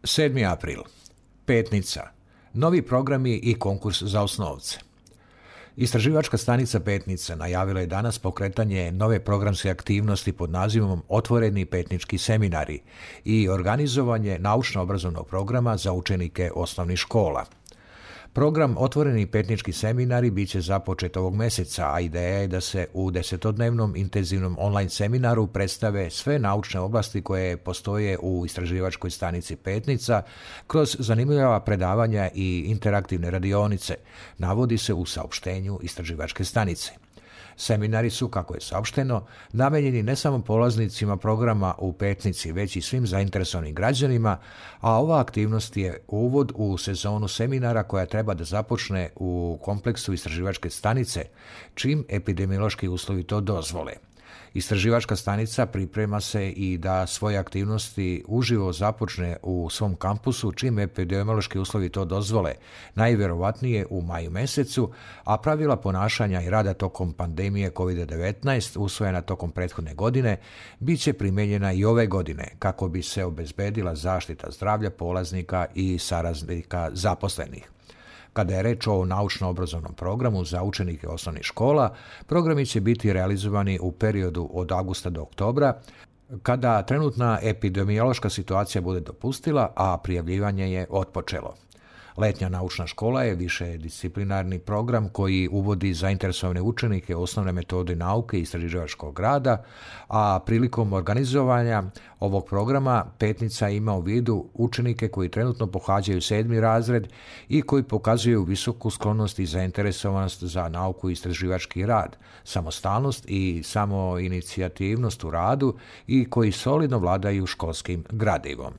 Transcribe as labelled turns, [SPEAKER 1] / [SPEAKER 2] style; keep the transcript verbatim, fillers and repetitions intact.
[SPEAKER 1] sedmi april. Petnica. Novi programi i konkurs za osnovce. Istraživačka stanica Petnica najavila je danas pokretanje nove programske aktivnosti pod nazivom Otvoreni petnički seminari i organizovanje naučno-obrazovnog programa za učenike osnovnih škola. Program Otvoreni petnički seminari bit će započet ovog mjeseca, a ideja je da se u desetodnevnom intenzivnom online seminaru predstave sve naučne oblasti koje postoje u istraživačkoj stanici Petnica kroz zanimljiva predavanja i interaktivne radionice, navodi se u saopštenju istraživačke stanice. Seminari su, kako je saopšteno, namijenjeni ne samo polaznicima programa u Petnici, već i svim zainteresovanim građanima, a ova aktivnost je uvod u sezonu seminara koja treba da započne u kompleksu istraživačke stanice, čim epidemiološki uslovi to dozvole. Istraživačka stanica priprema se i da svoje aktivnosti uživo započne u svom kampusu čim epidemiološki uslovi to dozvole, najvjerovatnije u maju mjesecu, a pravila ponašanja i rada tokom pandemije kovid devetnaest usvojena tokom prethodne godine bit će primijenjena i ove godine kako bi se obezbedila zaštita zdravlja polaznika i saradnika zaposlenih. Kada je reč o naučno-obrazovnom programu za učenike osnovnih škola, programi će biti realizovani u periodu od avgusta do oktobra, kada trenutna epidemiološka situacija bude dopustila, a prijavljivanje je otpočelo. Letnja naučna škola je višedisciplinarni program koji uvodi zainteresovane učenike osnovne metode nauke i istraživačkog rada, a prilikom organizovanja ovog programa Petnica ima u vidu učenike koji trenutno pohađaju sedmi razred i koji pokazuju visoku sklonost i zainteresovanost za nauku i istraživački rad, samostalnost i samoinicijativnost u radu i koji solidno vladaju školskim gradivom.